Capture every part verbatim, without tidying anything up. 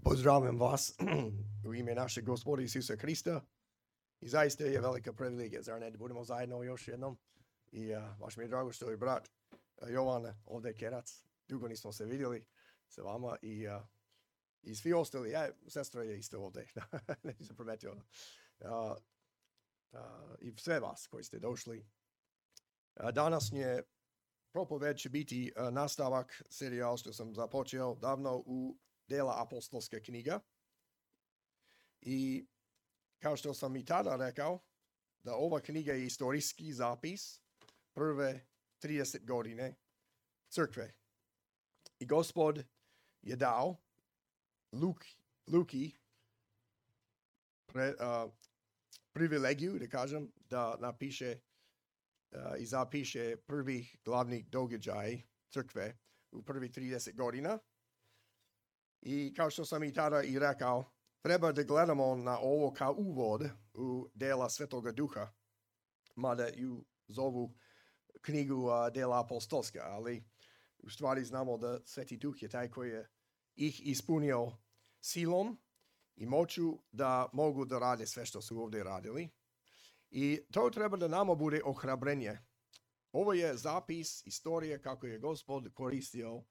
Pozdravljam vas u ime našeg Gospoda Isusa Krista i zaista je velika privilegija, zar ne, da budemo zajedno još jednom i uh, baš mi je drago što je brat uh, Jovan ovdje Kerac, dugo nismo se vidjeli sa vama i, uh, i svi ostali, ja, sestra je isto ovdje, nisam primetio, uh, uh, i sve vas koji ste došli. Uh, današnje propoved će biti uh, nastavak serijal što sam započeo davno u Dela apostolska knjiga. I kao što sam i tada rekao, da ova knjiga je istorijski zapis prve trideset godine crkve. I Gospod je dao Luk, Luki pre, uh, privilegiju, da kažem, da napiše uh, i zapiše prvi glavni događaj crkve u prvi trideset godina. I kao što sam i tada i rekao, treba da gledamo na ovo kao uvod u dela Svetoga Duha, mada ju zovu knjigu uh, Dela apostolska, ali u stvari znamo da Sveti Duh je taj koji je ih ispunio silom i moću da mogu da rade sve što su ovdje radili. I to treba da nama bude ohrabrenje. Ovo je zapis istorije kako je Gospod koristio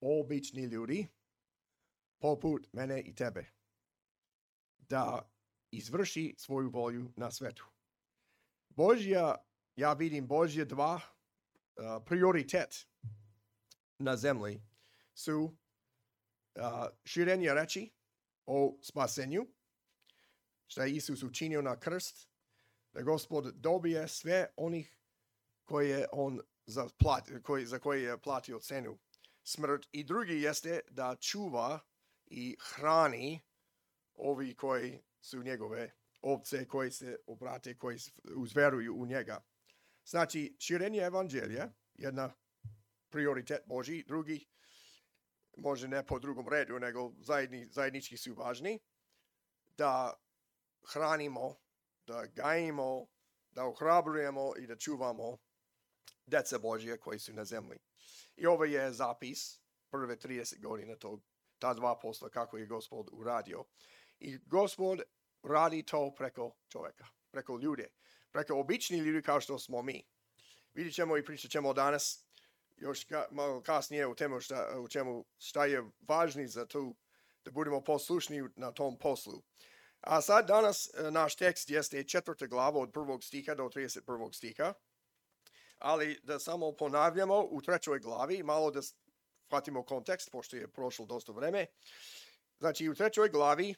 obični ljudi, poput mene i tebe, da izvrši svoju volju na svetu. Božja, ja vidim Božje dva uh, prioritet na zemlji su uh, širenje reči o spasenju, što je Isus učinio na krst, da Gospod dobije sve onih koje on za, plat, koji, za koje je platio cenu smrt. I drugi jeste da čuva i hrani ovi koji su njegove ovce, koji se obrate, koji uzveruju u njega. Znači, širenje evanđelja, jedna prioritet Božji, drugi, može ne po drugom redu, nego zajedni, zajednički su važni, da hranimo, da gajimo, da ohrabrujemo i da čuvamo deca Božje koji su na zemlji. I ovo je zapis prve trideset godina tog ta dva posla kako je Gospod uradio. I Gospod radi to preko čovjeka, preko ljude, preko obični ljudi kao što smo mi. Vidjet ćemo i pričat ćemo danas još ka, malo kasnije u temu šta, u čemu šta je važni za to da budemo poslušni na tom poslu. A sad danas naš tekst jeste četvrta glava od prvog stiha do trideset prvog stiha. Ali da samo ponavljamo u trećoj glavi, malo da shvatimo kontekst, pošto je prošlo dosta vreme. Znači, u trećoj glavi,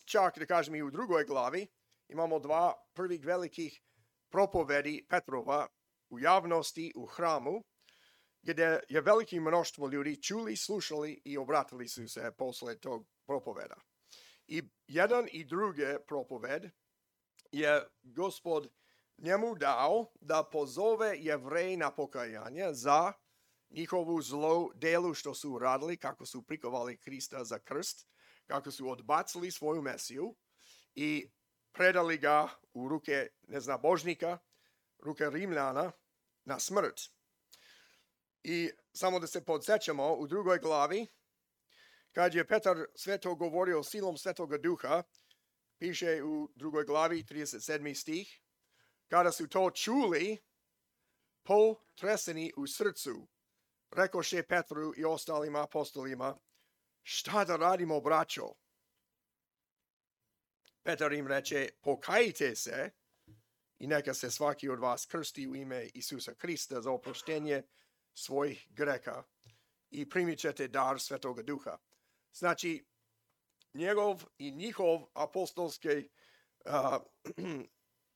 čak da kažem i u drugoj glavi, imamo dva prvih velikih propovedi Petrova u javnosti, u hramu, gdje je veliko mnoštvo ljudi čuli, slušali i obratili su se posle tog propoveda. I jedan i drugi propoved je Gospod njemu dao da pozove Jevreje na pokajanje za njihovu zlo delu što su uradili, kako su prikovali Krista za krst, kako su odbacili svoju Mesiju i predali ga u ruke neznabožnika, ruke Rimljana na smrt. I samo da se podsjećamo, u drugoj glavi, kad je Petar sve to govorio silom Svetoga Duha, piše u drugoj glavi, trideset sedmi stih, kada su to čuli, potreseni u srcu, rekoše Petru i ostalim apostolima, šta da radimo, braćo? Petar im reče, pokajte se i neka se svaki od vas krsti u ime Isusa Krista za oproštenje svojih greka i primit ćete dar Svetoga Duha. Znači, njegov i njihov apostolski uh,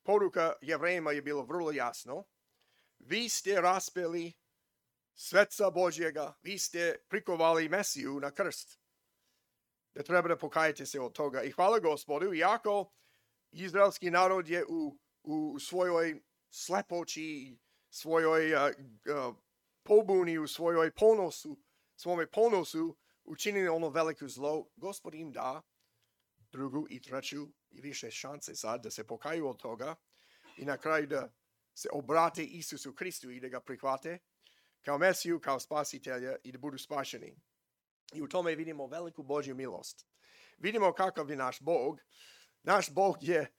poruka Jevrejima je bilo vrlo jasno. Vi ste raspeli Sveca Božjega, vi ste prikovali Mesiju na krst. Da treba da pokajete se od toga. I hvala Gospodu, iako izraelski narod je u, u svojoj slepoći, svojoj uh, uh, pobuni, u svojoj ponosu, svome ponosu učinili ono veliko zlo, Gospod im da drugu i treću i više šanse sad da se pokaju od toga i na kraju da se obrate Isusu Kristu i da ga prihvate kao Mesiju, kao spasitelja i da budu spašeni. I u tome vidimo veliku Božju milost. Vidimo kakav je naš Bog. Naš Bog je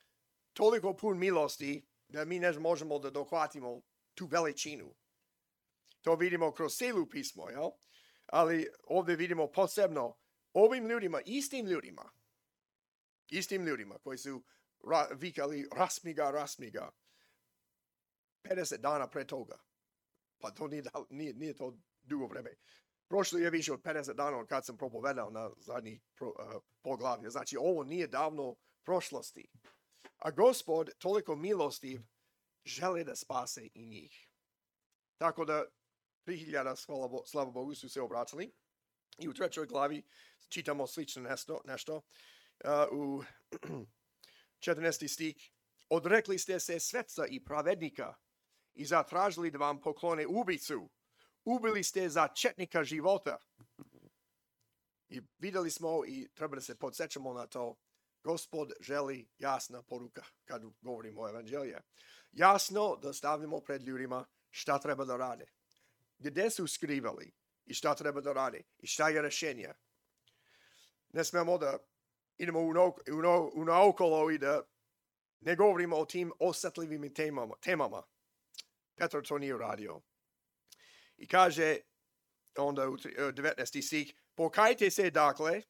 toliko pun milosti da mi ne možemo da dohvatimo tu veličinu. To vidimo kroz cijelu pismo, jel? Ali ovdje vidimo posebno ovim ljudima, istim ljudima, istim ljudima koji su ra, vikali rasmiga, rasmiga, pedeset dana pre toga. Pa to nije, nije, nije to dugo vreme. Prošlo je više od pedeset dana kad sam propovedao na zadnji pro, uh, poglavlje. Znači, ovo nije davno prošlosti. A Gospod toliko milostiv želi da spase i njih. Tako da tri hiljade, slava Bogu, su se obratili. I u trećoj glavi čitamo slično nešto. nešto. Uh, u četrnaesti stih. Odrekli ste se sveca i pravednika i zatražili da vam poklone ubicu. Ubili ste za četnika života. I vidjeli smo i treba da se podsjećamo na to. Gospod želi jasna poruka kad govorimo o evanđelju. Jasno da stavimo pred ljudima šta treba da rade. Gdje su skrivali i šta treba da rade i šta je rješenje. Ne smemo da idemo u, no, u, no, u naokolo i da ne govorimo o tim osjetljivim temama. temama. Petar to nije uradio. I kaže onda u devetnaesti stih, pokajte se dakle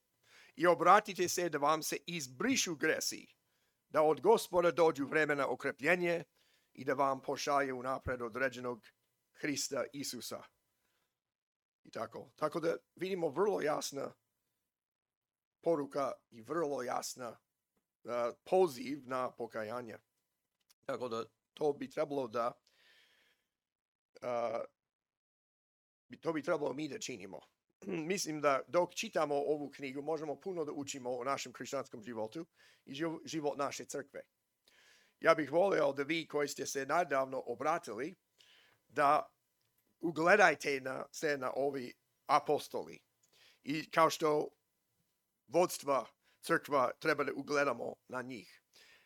i obratite se da vam se izbrišu gresi, da od Gospoda dođu vremena okrepljenje i da vam pošalje unapred određenog Hrista Isusa. I tako. Tako da vidimo vrlo jasna poruka i vrlo jasna uh, poziv na pokajanje. Tako da to bi trebalo da uh, to bi trebalo mi da činimo. Mislim da dok čitamo ovu knjigu možemo puno da učimo o našem hrišćanskom životu i život naše crkve. Ja bih volio da vi koji ste se nedavno obratili da ugledajte na, se na ovi apostoli. I kao što vodstva crkva treba da ugledamo na njih.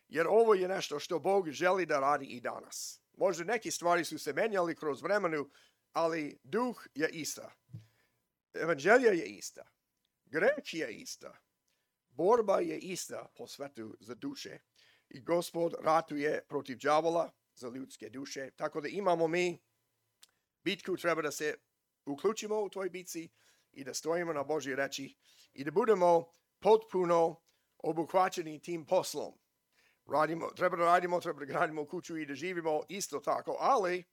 Jer ovo je nešto što Bog želi da radi i danas. Možda neke stvari su se menjali kroz vremenu, ali duh je ista. Evanđelje je ista. Greh je ista. Borba je ista po svetu za duše. I Gospod ratuje protiv đavola za ljudske duše. Tako da imamo mi bitku, treba da se uključimo u toj bitci i da stojimo na Božje reči i da budemo potpuno obuhvaćeni tim poslom. Radimo, treba da radimo, treba da gradimo kuću i da živimo isto tako, ali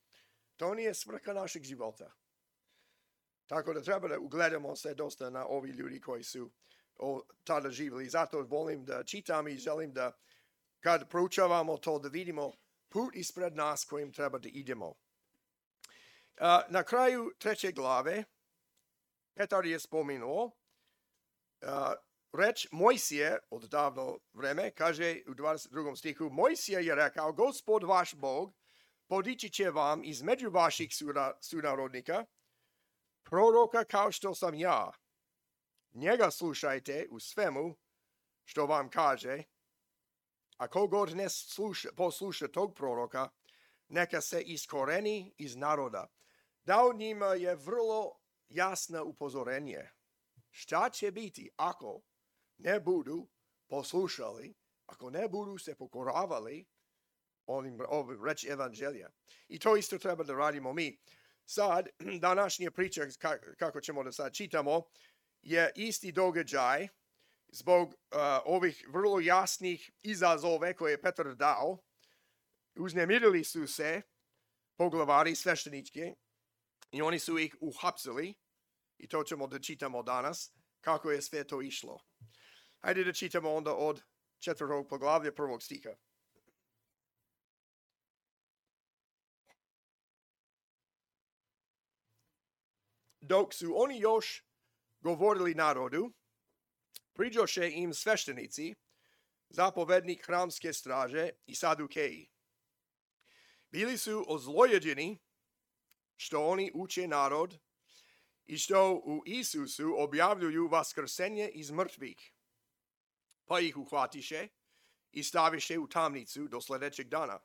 to nije svrha našeg života. Tako da treba da ugledamo se dosta na ovi ljudi koji su o, tada živjeli. Zato volim da čitam i želim da kad proučavamo to da vidimo put ispred nas kojim treba da idemo. Uh, na kraju treće glave Petar je spomenuo uh, reč Mojsije od davno vreme, kaže u dvadeset drugom stihu, Mojsije je rekao, Gospod vaš Bog podići će vam između vaših sunarodnika proroka kao što sam ja. Njega slušajte u svemu što vam kaže, a kogod ne sluša, posluša tog proroka, neka se iskoreni iz naroda. Dao njima je vrlo jasno upozorenje. Šta će biti ako ne budu poslušali, ako ne budu se pokoravali onim, ovim reći evanđelja. I to isto treba da radimo mi. Sad, današnja priča, kako ćemo da sad čitamo, je isti događaj zbog uh, ovih vrlo jasnih izazove koje je Petar dao. Uznemirili su se poglavari sveštenički i oni su ih uhapsili i to ćemo da čitamo danas kako je sve to išlo. Hajde da čitamo onda od četvrtog poglavlja prvog stiha. Dok su oni još govorili narodu, priđoše im sveštenici, zapovednik hramske straže i sadukeji. Bili su ozlojeđeni što oni uče narod i što u Isusu objavljuju vaskrsenje iz mrtvih. Pa ih uhvatiše i staviše u tamnicu do sljedećeg dana,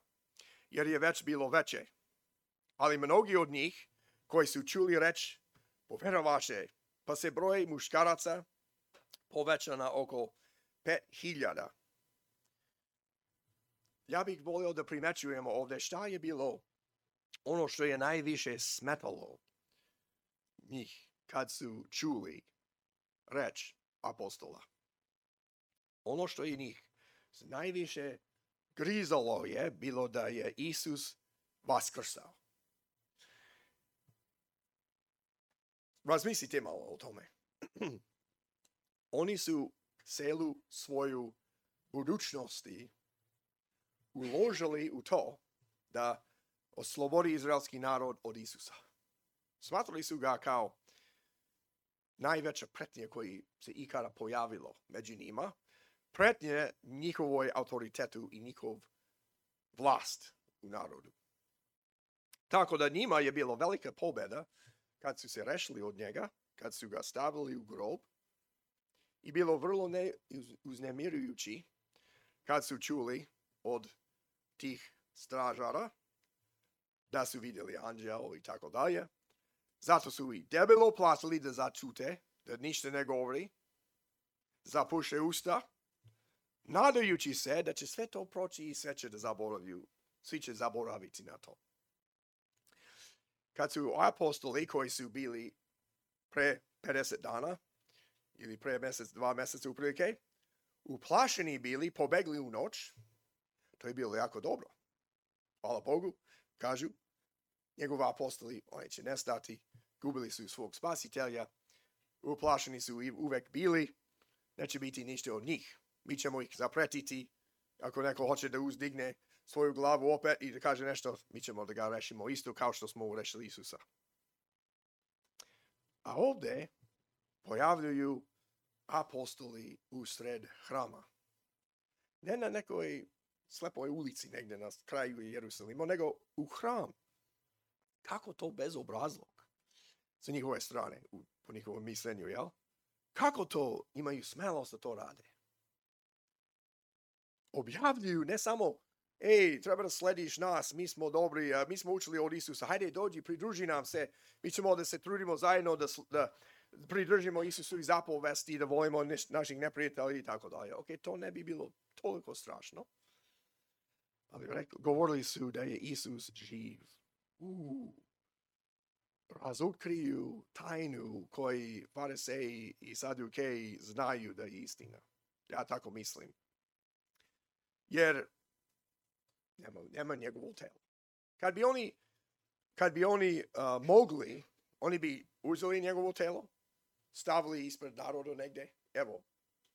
jer je već bilo veče. Ali mnogi od njih koji su čuli reč, poverovaše pa se broj muškaraca poveća na oko pet hiljada. Ja bih volio da primećujemo ovdje šta je bilo ono što je najviše smetalo njih kad su čuli reč apostola. Ono što je njih najviše grizalo je bilo da je Isus vaskrsao. Razmislite malo o tome. Oni su celu svoju budućnosti uložili u to da oslobodi izraelski narod od Isusa. Smatrali su ga kao najveća pretnja koji se ikada pojavilo među njima, pretnje njihovoj autoritetu i njihov vlast u narodu. Tako da njima je bilo velika pobjeda kad su se rešili od njega, kad su ga stavili u grob, i bilo vrlo ne, uznemirujući kad su čuli od tih stražara da su vidjeli anđeo i tako dalje. Zato su i debelo platili da začute, da ništa ne govori, zapuše usta, nadajući se da će sve to proći i sve će da zaboraviju, svi će zaboraviti na to. Kad su apostoli koji su bili pre pedeset dana, ili pre mjesec, dva mjeseca uprilike, uplašeni bili, pobegli u noć, to je bilo jako dobro. Hvala Bogu, kažu, njegovi apostoli, oni će nestati, gubili su svog spasitelja, uplašeni su i uvek bili, neće biti ništa od njih. Mi ćemo ih zapretiti, ako neko hoće da uzdigne svoju glavu opet i da kaže nešto, mi ćemo da ga rešimo isto kao što smo rešili Isusa. A ovdje pojavljuju apostoli u sred hrama. Ne na nekoj slepoj ulici negdje na kraju Jerusalima, nego u hram. Kako to bezobrazlog sa njihove strane, po njihovom mislenju, jel? Kako to imaju smelost da to rade? Objavljuju ne samo, ej, treba da slediš nas, mi smo dobri, mi smo učili od Isusa, hajde dođi, pridruži nam se, mi ćemo da se trudimo zajedno da, da pridržimo Isusu i zapovesti, da volimo naših neprijatelja i tako dalje. Ok, to ne bi bilo toliko strašno. Ali rekli, govorili su da je Isus živ. Uh, razotkriju tajnu koji fariseji i sadukeji znaju da je istina. Ja tako mislim. Jer nema, nema njegovo telo. Kad bi oni, kad bi oni uh, mogli, oni bi uzeli njegovo telo, stavili ispred naroda negdje, evo,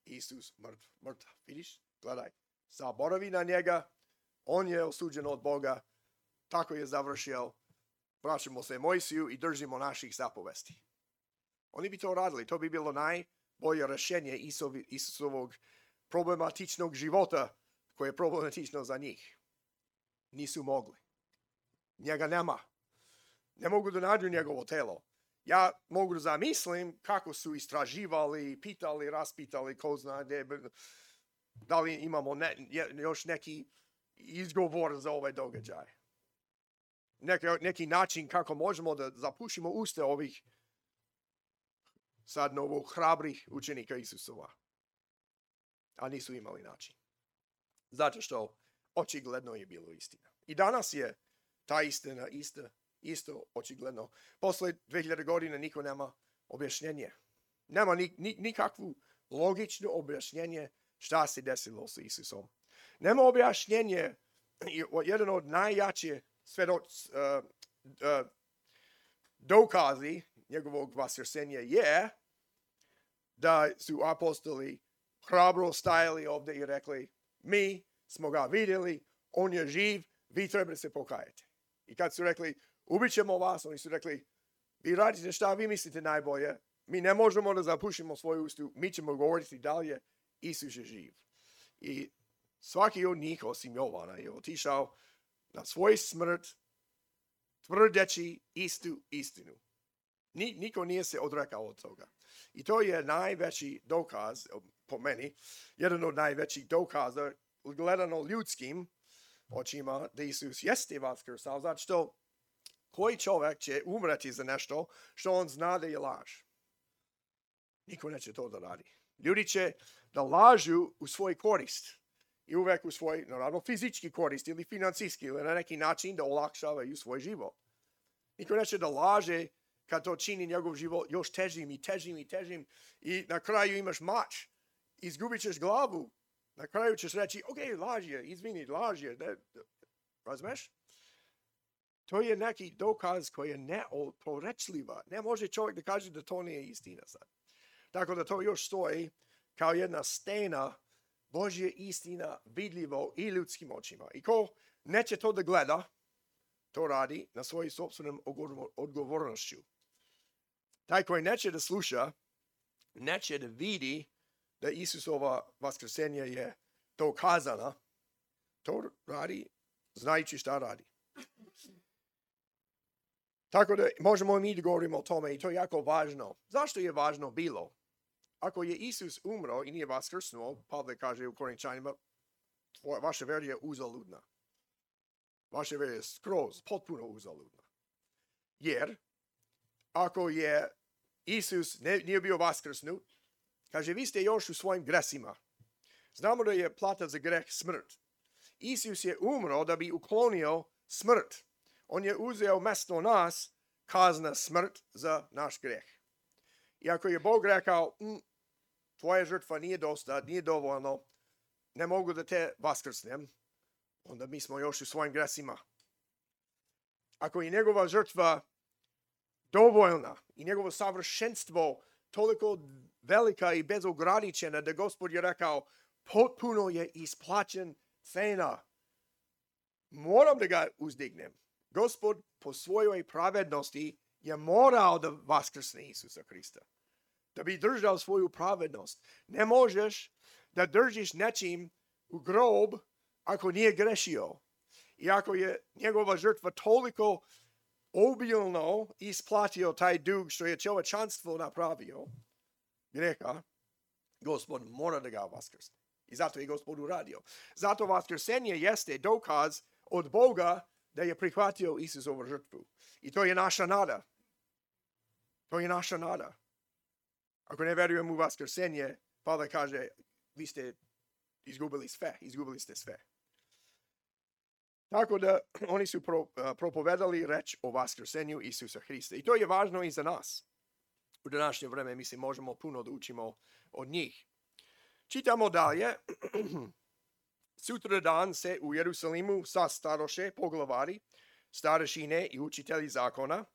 Isus mrtv, mrtav, vidiš, gledaj, zaboravi na njega, on je osuđen od Boga, tako je završio, vraćamo se Mojsiju i držimo naših zapovesti. Oni bi to radili, to bi bilo najbolje rešenje Isusovog problematičnog života, koje je problematično za njih. Nisu mogli. Njega nema. Ne mogu da nađu njegovo telo. Ja mogu da zamislim kako su istraživali, pitali, raspitali, ko zna gdje, da li imamo ne, još neki izgovor za ovaj događaj. Neki, neki način kako možemo da zapušimo usta ovih sad novo hrabrih učenika Isusova. A nisu imali način. Zato što očigledno je bilo istina. I danas je ta istina ista, isto očigledno. Posle dve hiljade godina niko nema objašnjenje. Nema ni, ni, nikakvu logično objašnjenje šta se desilo sa Isusom. Nema objašnjenje, jedan od najjačih svedoc, uh, uh, dokazi njegovog vaskrsenja je da su apostoli hrabro stajali ovdje i rekli, mi smo ga vidjeli, on je živ, vi treba se pokajati. I kad su rekli, ubit ćemo vas, oni su rekli, vi radite šta vi mislite najbolje, mi ne možemo da zapušimo svoju ustu, mi ćemo govoriti dalje, Isus je živ. I svaki od njih, osim Jovana, je otišao na svoj smrt, tvrdeći istu istinu. Ni, niko nije se odrekao od toga. I to je najveći dokaz, po meni, jedan od najvećih dokaza, gledano ljudskim očima, da Isus jeste vaskrsao, zato što koji čovjek će umreti za nešto što on zna da je laž. Niko neće to da radi. Ljudi će da lažu u svoj korist. I uvek u svoj, naravno, fizički korist ili financijski ili na neki način da olakšavaju svoj život. Niko neće da laže kad to čini njegov život još težim i težim i težim i na kraju imaš mač. Izgubit ćeš glavu. Na kraju ćeš reći, ok, laž je, izvini, laž je. Razumeš? To je neki dokaz koji je neoporečljiva. Ne može čovjek da kaže da to nije istina sad. Tako da to još stoji kao jedna stena Božja istina vidljivo i ljudskim očima. I ko neće to da gleda, to radi na svojoj sopstvenom odgovornošću. Taj koji neće da sluša, neće da vidi da Isusova vaskrsenje je dokazana, to radi znajući šta radi. Tako da možemo mi da govorimo o tome i to je jako važno. Zašto je važno bilo? Ako je Isus umro i nije vaskrsnuo, Pavle kaže u Korinčanima, vaša vera je uzaludna. Vaša vera je skroz, potpuno uzaludna. Jer, ako je Isus ne, nije bio vaskrsnut, kaže, vi ste još u svojim gresima. Znamo da je plata za greh smrt. Isus je umro da bi uklonio smrt. On je uzeo mesto nas, kazna smrt za naš greh. I ako je Bog rekao, mm, tvoja žrtva nije dosta, nije dovoljno, ne mogu da te vaskrsnem, onda mi smo još u svojim gresima. Ako je njegova žrtva dovoljna i njegovo savršenstvo toliko velika i bezograničena da Gospod je rekao, potpuno je isplaćen cena. Moram da ga uzdignem. Gospod po svojoj pravednosti je morao da vaskrsne Isusa Hrista. Da bi držao svoju pravednost. Ne možeš da držiš nečim u grob ako nije grešio. I ako je njegova žrtva toliko obilno isplatio taj dug što je čovječanstvo napravio, greha, Gospod mora da ga vaskrsne. I zato je Gospod uradio. Zato vaskrsenje jeste dokaz od Boga da je prihvatio Isusovu žrtvu. I to je naša nada. To je naša nada. Ako ne verujemo u vaskrsenje, Pavle kaže, vi ste izgubili sve, izgubili ste sve. Tako da oni su pro, uh, propovedali reč o vaskrsenju Isusa Hrista. I to je važno i za nas. U današnje vreme, mislim, možemo puno da učimo od njih. Čitamo dalje. Sutra dan se u Jerusalimu sastaroše poglavari, starešine i učitelji zakona,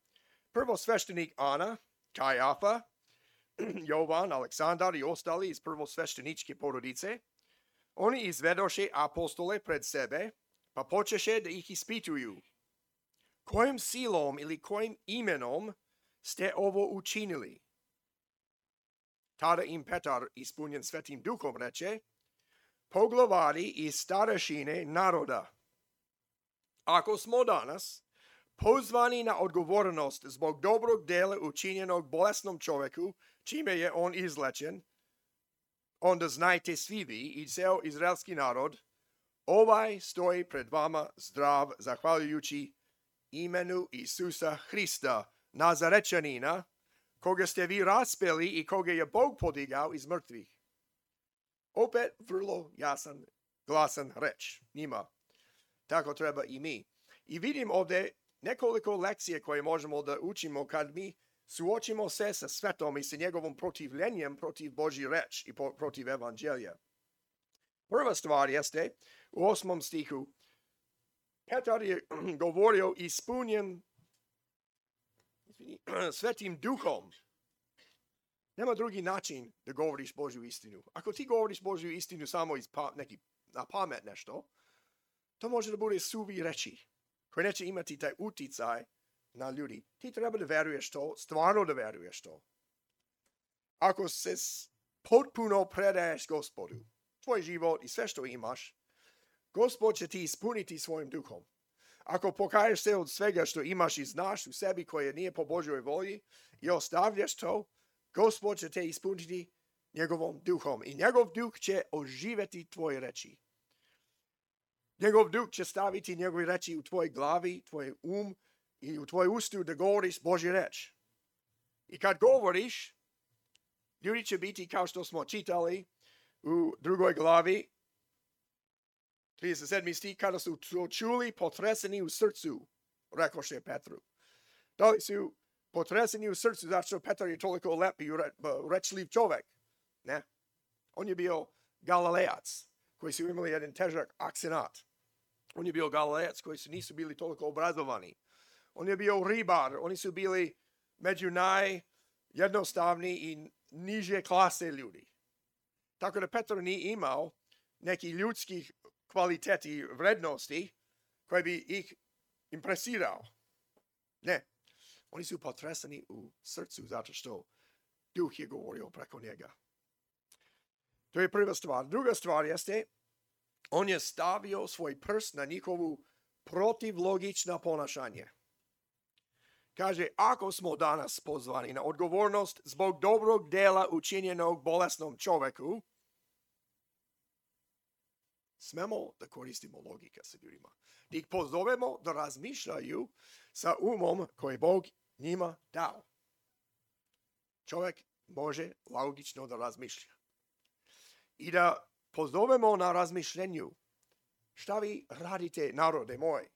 prvosveštenik Ana, Kajafa, Jovan, Aleksandar i ostali iz prvosvešteničke porodice. Oni izvedoše apostole pred sebe, pa počeše da ih ispituju. Kojim silom ili kojim imenom ste ovo učinili? Tada im Petar, ispunjen Svetim Duhom, reče, poglavari i starešine naroda. Ako smo danas pozvani na odgovornost zbog dobrog dela učinjenog bolesnom čovjeku, čime je on izlečen, onda znajte svi vi i ceo izraelski narod, ovaj stoji pred vama zdrav, zahvaljujući imenu Isusa Hrista, Nazarečanina, koga ste vi raspeli i koga je Bog podigao iz mrtvih. Opet vrlo jasan, glasan reč njima. Tako treba i mi. I vidim ovdje nekoliko lekcije koje možemo da učimo kad mi suočimo se sa svetom i sa njegovom protivljenjem protiv Božji reč i protiv evanđelja. Prva stvar jeste u osmom stihu. Petar je govorio ispunjen Svetim Duhom. Nema drugi način da govoriš Božju istinu. Ako ti govoriš Božju istinu samo iz pa, neki, na pamet nešto, to može da bude suvi reči, koji neće imati taj uticaj na ljudi. Ti treba da veruješ to, stvarno da veruješ to. Ako se potpuno predaješ Gospodu, tvoj život i sve što imaš, Gospod će ti ispuniti svojim duhom. Ako pokaješ se od svega što imaš i znaš u sebi koje nije po Božjoj volji i ostavljaš to, Gospod će te ispuniti njegovom duhom i njegov duh će oživeti tvoje reči. Njegov duh će staviti njegove reči u tvoj glavi, tvoj um i u tvoj ustu da govoriš Božju reč. I kad govoriš, Ljudi će biti, kao što smo čitali u drugoj glavi, trideset sedmi stih, kada su to čuli, potreseni u srcu, rekoše Petru. Da li su potreseni u srcu, zato što Petar je toliko lep i rečljiv čovek? Ne. On je bio Galilejac, koji su imali jedan težak akcenat. On je bio Galilejac, koji su nisu bili toliko obrazovani. On je bio ribar, oni su bili među najjednostavniji i niže klase ljudi. Tako da Petar nije imao neki ljudskih kvaliteti i vrednosti koji bi ih impresirao. Ne. Oni su potresani u srcu zato što Duh je govorio preko njega. To je prva stvar. Druga stvar jeste, on je stavio svoj prst na njihovu protivlogično ponašanje. Kaže, ako smo danas pozvani na odgovornost zbog dobrog dela učinjenog bolesnom čoveku, smemo da koristimo logika sa ljudima. Da ih pozovemo da razmišljaju sa umom koji Bog njima dao. Čovjek može logično da razmišlja. I da pozovemo na razmišljenju. Šta vi radite, narode moj?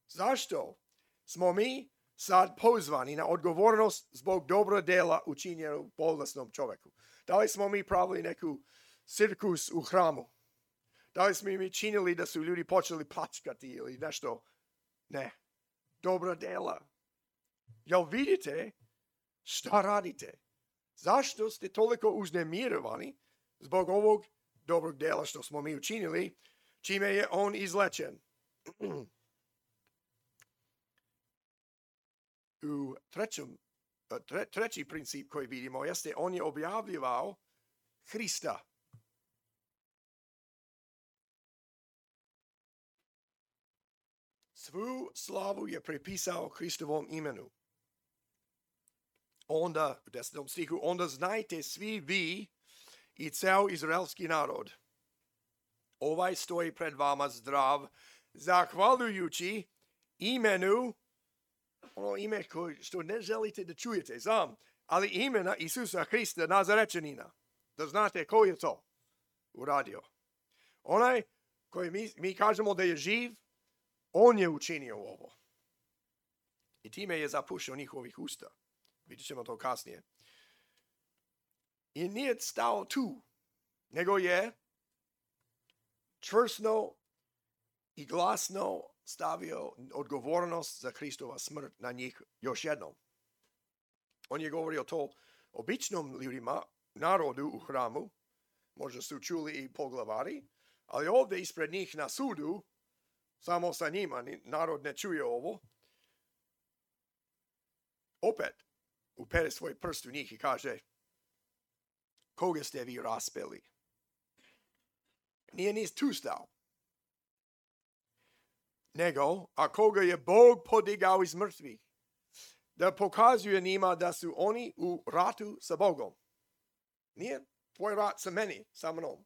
Zašto smo mi sad pozvani na odgovornost zbog dobro dela učinjenog bolesnom čovjeku? Da li smo mi pravili neku cirkus u hramu? Da li smo mi činili da su ljudi počeli plačkati ili nešto? Ne. Dobra dela. Jel vidite šta radite? Zašto ste toliko uznemirovani zbog ovog dobrog dela što smo mi učinili, čime je on izlečen? U trećem, tre, treći princip koji vidimo jeste on je objavljivao Hrista. Svu slavu je prepisao Hristovom imenu. Onda, u desetom stihu, onda znajte svi vi i ceo izraelski narod. Ovaj stoji pred vama zdrav, zahvaljujući imenu, ono ime koje što ne želite da čujete, znam, ali imena Isusa Hrista Nazarečanina. Da znate ko je to uradio. Onaj koji mi, mi kažemo da je živ, on je učinio ovo. I time je zapušio njihovih usta. Vidjet ćemo to kasnije. I nije stao tu, nego je čvrsto i glasno stavio odgovornost za Hristova smrt na njih još jednom. On je govorio to običnom ljudima, narodu u hramu, možda su čuli i poglavari, ali ovdje ispred njih na sudu, samo sa njima, narod ne čuje ovo, opet upere svoj prst u njih i kaže, koga ste vi raspeli? Nije ni tu stao. Nego, a koga je Bog podigao iz mrtvih, da pokazuje njima da su oni u ratu sa Bogom. Nije tvoj rat sa meni, sa mnom.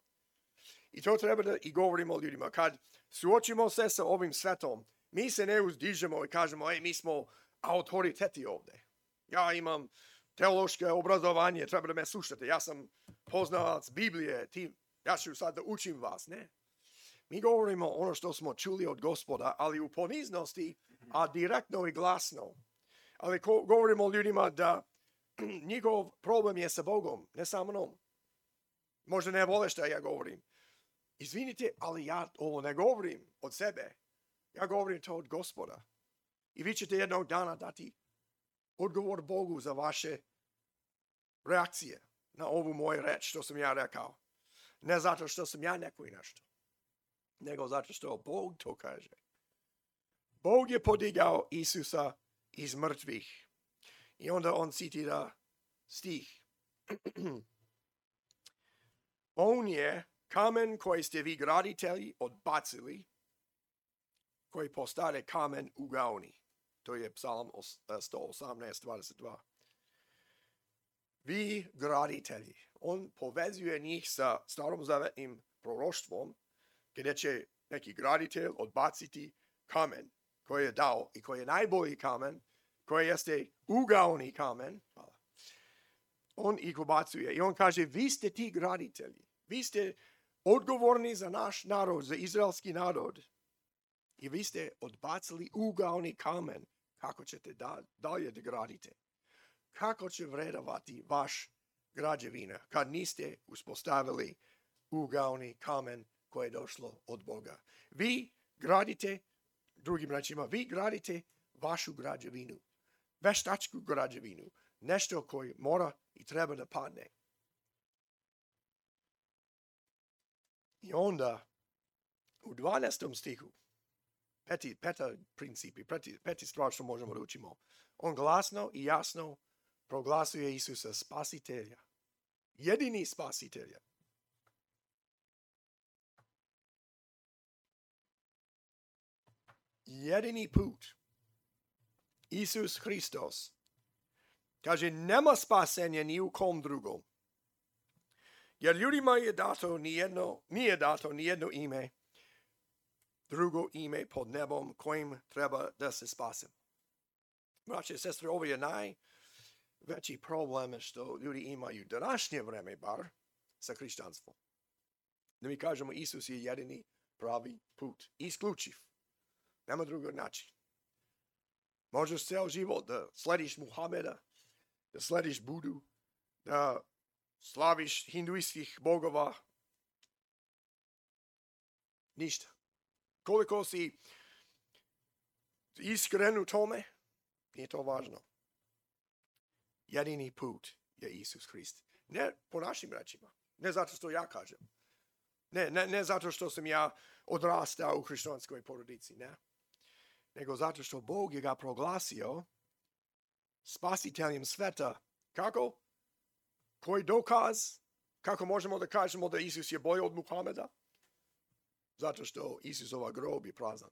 I to treba da i govorimo ljudima. Kad suočimo se sa ovim svetom, mi se ne uzdižemo i kažemo, ej, mi smo autoriteti ovdje. Ja imam teološke obrazovanje, treba da me slušate. Ja sam poznavac Biblije, ti, ja ću sad da učim vas. Ne. Mi govorimo ono što smo čuli od Gospoda, ali u poniznosti, a direktno i glasno. Ali ko, govorimo ljudima da njihov problem je sa Bogom, ne sa mnom. Možda ne vole što ja govorim. Izvinite, ali ja ovo ne govorim od sebe. Ja govorim to od Gospoda. I vi ćete jednog dana dati odgovor Bogu za vaše reakcije na ovu moju reč što sam ja rekao. Ne zato što sam ja neko i nešto, nego zato što Bog to kaže. Bog je podigao Isusa iz mrtvih. I onda on citira stih. On je kamen koji ste vi graditelji odbacili, koji postade kamen u gaoni. To je Psalam sto osamnaest dvadeset dva. Vi graditelji. On povezuje njih sa starozavetnim proroštvom, gdje će neki graditelj odbaciti kamen koji je dao i koji je najbolji kamen, koji jeste ugaoni kamen. Hvala. on ih ubacuje i on kaže, vi ste ti graditelji, vi ste odgovorni za naš narod, za izraelski narod. I vi ste odbacili ugaoni kamen. Kako ćete da, dalje da gradite? Kako će vredovati vaš građevina kad niste uspostavili ugaoni kamen koje je došlo od Boga? Vi gradite, drugim rečima, vi gradite vašu građevinu, veštačku građevinu, nešto koje mora i treba da padne. I onda u dvanaestom stihu, peti, peta principi, peti, peti stvar što možemo da učimo, on glasno i jasno proglasuje Isusa spasitelja, jedini spasitelja. Jedini put. Isus Hristos. Kaže, nema spasenja ni u kom drugom. Jer ljudima je dato nijedno, nije dato nijedno ime, drugo ime pod nebom kojim treba da se spasemo. Braće i sestre, ovo je najveći problem što ljudi imaju današnje vreme, bar sa hrišćanstvom. Da mi kažemo, Isus je jedini pravi put, isključiv. Nema drugog načina. Možeš ceo život da slediš Muhameda, da slediš Budu, da slaviš hinduistskih bogova. Ništa. Koliko si iskren u tome, nije to važno. Jedini put je Isus Hrist. Ne po našim rečima. Ne zato što ja kažem. Ne, ne, ne zato što sam ja odrastao u hrišćanskoj porodici, ne. Nego zato što Bog je ga proglasio spasiteljem sveta. Kako? Koji dokaz? Kako možemo da kažemo da Isus je bolji od Muhameda? Zato što Isusova grob je prazan.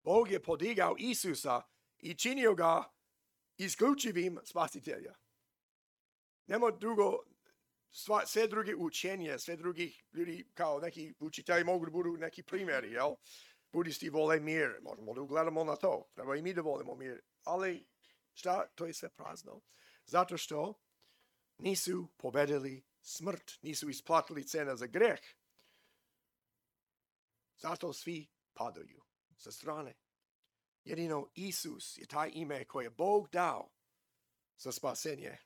Bog je podigao Isusa i činio ga isključivim spasitelja. Nema drugo, sva, sve druge učenje, sve drugih ljudi kao neki učitelji mogu da budu neki primjeri, jel? Budisti vole mir, možemo da ugledamo na to. Treba i mi da volimo mir. Ali šta? To je sve prazno. Zato što nisu pobedili smrt, nisu isplatili cena za greh. Zato svi padaju sa strane. Jedino Isus je taj ime koje je Bog dao za spasenje.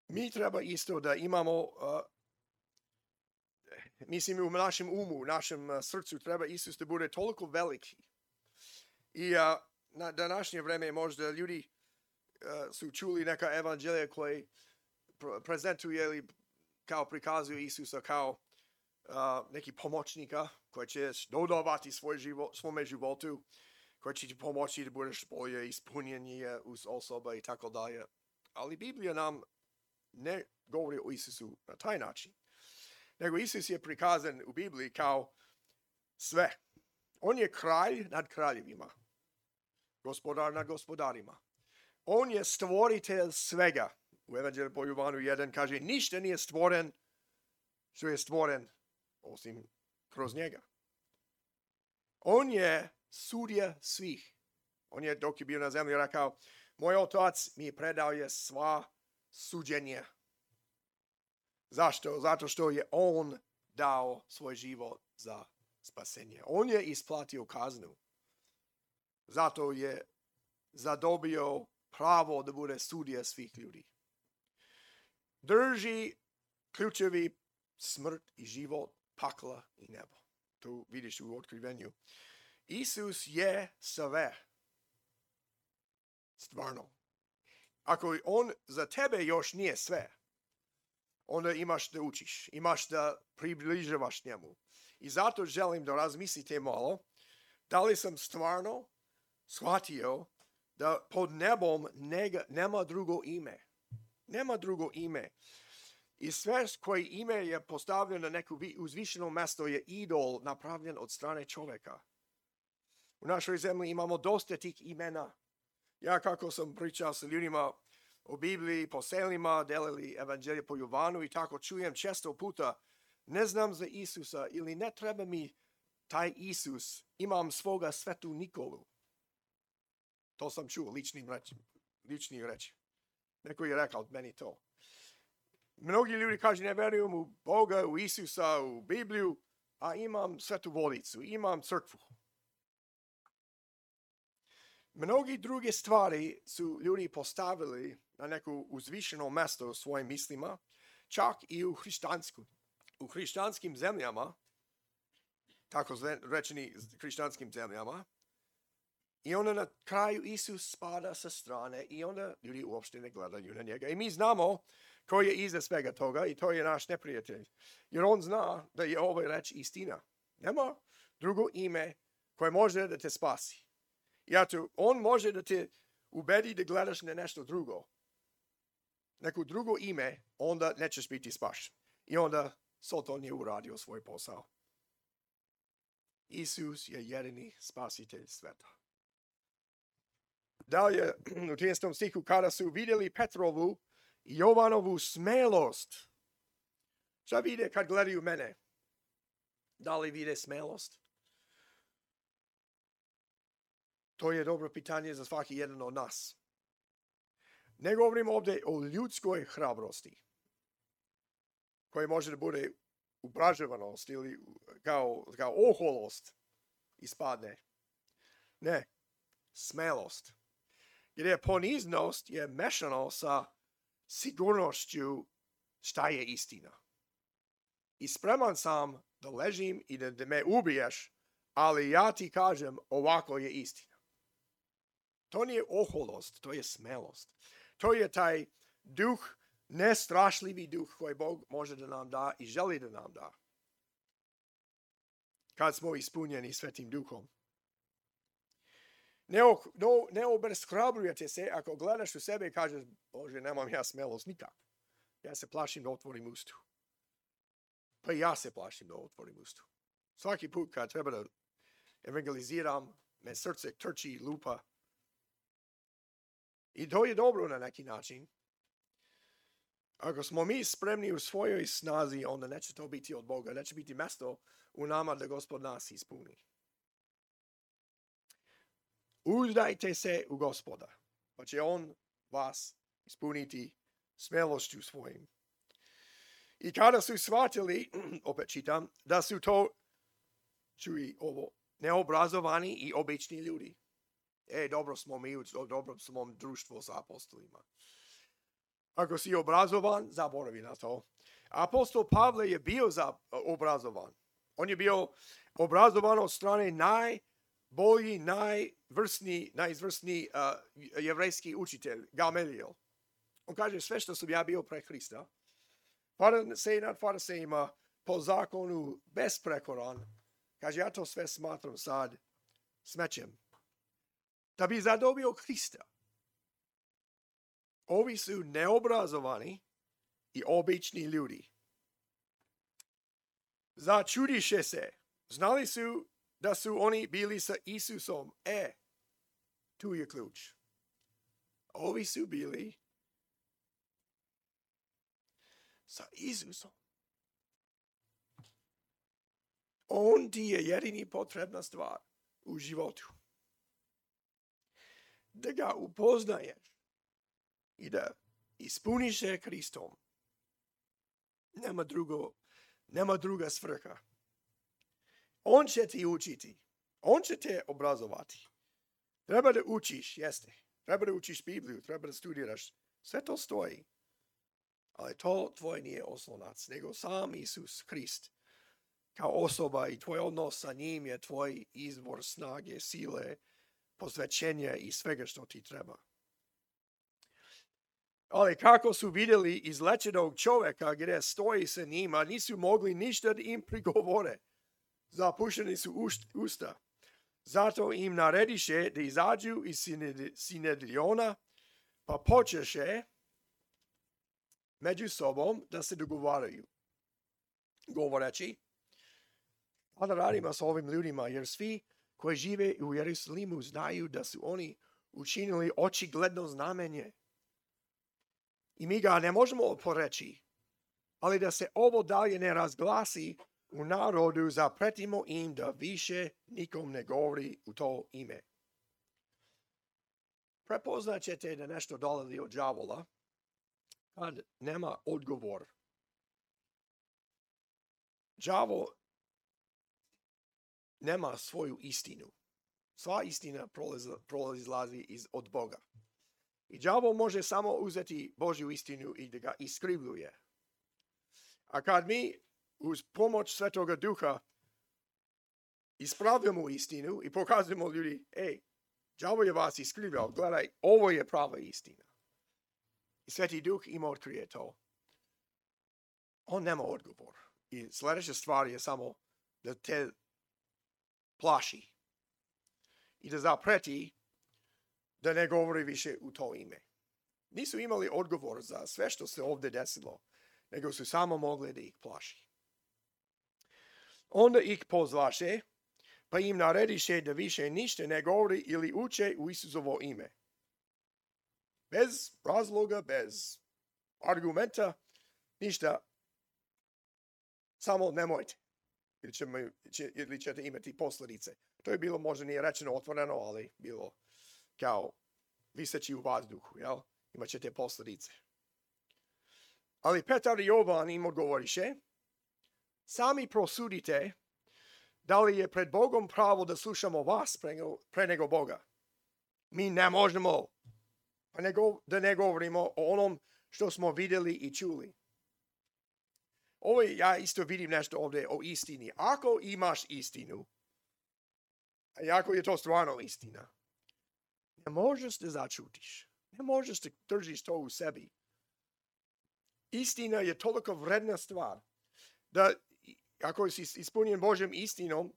Mi treba isto da imamo, uh, mislim u našem umu, u našem uh, srcu treba Isus da bude toliko veliki. I uh, na današnje vreme možda ljudi uh, su čuli neka evanđelja koje prezentuje ili kao prikazuju Isusa kao Uh, neki pomoćnika koji će dodavati svoj život, svome životu, koji će ti pomoći da budeš bolje ispunjenje uz osoba i tako dalje. Ali Biblija nam ne govori o Isusu na taj način. Nego Isus je prikazan u Bibliji kao sve. On je kralj nad kraljevima. Gospodar nad gospodarima. On je stvoritelj svega. U Evanđelju po Jovanu jedan kaže, ništa nije stvoren što je stvoren osim kroz njega. On je sudija svih. On je, dok je bio na zemlji, rekao, moj otac mi je predao je sva suđenja. Zašto? Zato što je on dao svoj život za spasenje. On je isplatio kaznu. Zato je zadobio pravo da bude sudija svih ljudi. Drži ključevi smrt i život, pakla i nebo. Tu vidiš u otkrivenju. Isus je sve. Stvarno. Ako on za tebe još nije sve, onda imaš da učiš, imaš da približavaš njemu. I zato želim da razmislite malo, da li sam stvarno shvatio da pod nebom nega, nema drugo ime. Nema drugo ime. I sve koje ime je postavljeno na neko uzvišeno mesto je idol napravljen od strane čovjeka. U našoj zemlji imamo dosta tih imena. Ja kako sam pričao sa ljudima o Bibliji, po selima, delili evanđelje po Jovanu i tako čujem često puta, ne znam za Isusa ili ne treba mi taj Isus, imam svoga svetu Nikolu. To sam čuo ličnim rečima. ličnih reči. Neko je rekao meni to. Mnogi ljudi kažu ne verujem u Boga, u Isusa, u Bibliju, a imam svetu vodicu, imam crkvu. Mnogi druge stvari su ljudi postavili na neko uzvišeno mesto u svojim mislima, čak i u hrišćansku. U hrišćanskim zemljama, tako rečeni hrišćanskim zemljama, i onda na kraju Isus spada sa strane i onda ljudi uopšte ne gledaju na njega. I mi znamo ko je iza svega toga i to je naš neprijatelj. Jer on zna da je ovo reč istina. Nema drugo ime koje može da te spasi. I eto, on može da te ubedi da gledaš na nešto drugo. Neko drugo ime, onda nećeš biti spašen. I onda Satan je uradio svoj posao. Isus je jedini spasitelj sveta. Dalje, u trinaestom stihu, kada su vidjeli Petrovu i Jovanovu smelost. Šta vide kad gledaju mene? Da li vide smelost? To je dobro pitanje za svaki jedan od nas. Ne govorim ovdje o ljudskoj hrabrosti, koja može da bude upraževanost ili kao, kao oholost ispadne. Ne, smelost. Jer je poniznost je mešano sa sigurnošću šta je istina. I spreman sam da ležim i da, da me ubiješ, ali ja ti kažem ovako je istina. To nije oholost, to je smelost. To je taj duh, nestrašljivi duh koji Bog može da nam da i želi da nam da. Kad smo ispunjeni Svetim Duhom. Ne, no, ne obeshrabrujete se ako gledaš u sebe i kažeš, Bože, nemam ja smelost nikako. Ja se plašim da otvorim ustu. Pa ja se plašim da otvorim ustu. Svaki put kad treba da evangeliziram, me srce trči i lupa. I to je dobro na neki način. Ako smo mi spremni u svojoj snazi, onda neće to biti od Boga. Neće biti mesto u nama da Gospod nas ispuni. Uzdajte se u Gospoda, pa će on vas ispuniti smelošću svojim. I kada su shvatili, opet čitam, da su to, čuj ovo, neobrazovani i obični ljudi. E, dobro smo mi, dobro smo društvo sa apostolima. Ako si obrazovan, zaboravi na to. Apostol Pavle je bio za, obrazovan. On je bio obrazovan od strane najbolji, najvrsniji, najizvrsniji uh, jevrejski učitelj, Gamaliel. On kaže, sve što sam ja bio pre Hrista, farisej nad farisejima, po zakonu besprekoran, kaže, ja to sve smatram sad smećem. Da bi zadobio Hrista. Ovi su neobrazovani i obični ljudi. Začudiše se. Znali su da su oni bili sa Isusom. E, tu je ključ. Ovi su bili sa Isusom. On ti je jedini potrebna stvar u životu. Da ga upoznaješ i da ispuniš se Hristom. Nema drugo, nema druga svrha. On će ti učiti. On će te obrazovati. Treba da učiš, jeste. Treba da učiš Bibliju, treba da studiraš. Sve to stoji. Ali to tvoj nije oslonac, nego sam Isus Hrist. Kao osoba i tvoj odnos sa njim je tvoj izvor snage, sile, posvećenja i svega što ti treba. Ali kako su vidjeli izlečenog čovjeka gdje stoji sa njima, nisu mogli ništa da im prigovore. Zapušeni su usta. Zato im narediše da izađu iz Sinedriona, pa počeše među sobom da se dogovaraju. Govoreći, pa da radimo s ovim ljudima, jer svi koji žive u Jerusalimu znaju da su oni učinili očigledno znamenje. I mi ga ne možemo poreći, ali da se ovo dalje ne razglasi u narodu, zapretimo im da više nikom ne govori u to ime. prepoznat ćete da nešto dolazi od đavola kad nema odgovor. Đavo nema svoju istinu. Sva istina proizlazi iz, od Boga. I đavo može samo uzeti Božju istinu i da ga iskrivljuje. A kad mi uz pomoć Svetoga Duha ispravljamo istinu i pokazujemo ljudi, ej, đavo je vas iskrivljao, gledaj, ovo je prava istina. I Sveti Duh ima otkrije to. On nema odgovor. I sljedeća stvar je samo da te plaši i da zapreti da ne govori više u to ime. Nisu imali odgovor za sve što se ovdje desilo, nego su samo mogli da ih plaši. Onda ih pozvaše, pa im narediše da više ništa ne govori ili uče u Isusovo ime. Bez razloga, bez argumenta, ništa, samo nemojte. Ili, ćemo, će, ili ćete imati posljedice. To je bilo možda nije rečeno otvoreno, ali bilo kao viseći u vazduhu, jel? Imat ćete posljedice. Ali Petar i Jovan im odgovoriše, sami prosudite da li je pred Bogom pravo da slušamo vas pre, pre nego Boga. Mi ne možemo pa nego, da ne govorimo o onom što smo vidjeli i čuli. Ovo je, ja isto vidim nešto ovdje o istini. Ako imaš istinu, a ako je to stvarno istina, ne možeš da začutiš. Ne možeš da držiš to u sebi. Istina je toliko vredna stvar da ako si ispunjen Božjem istinom,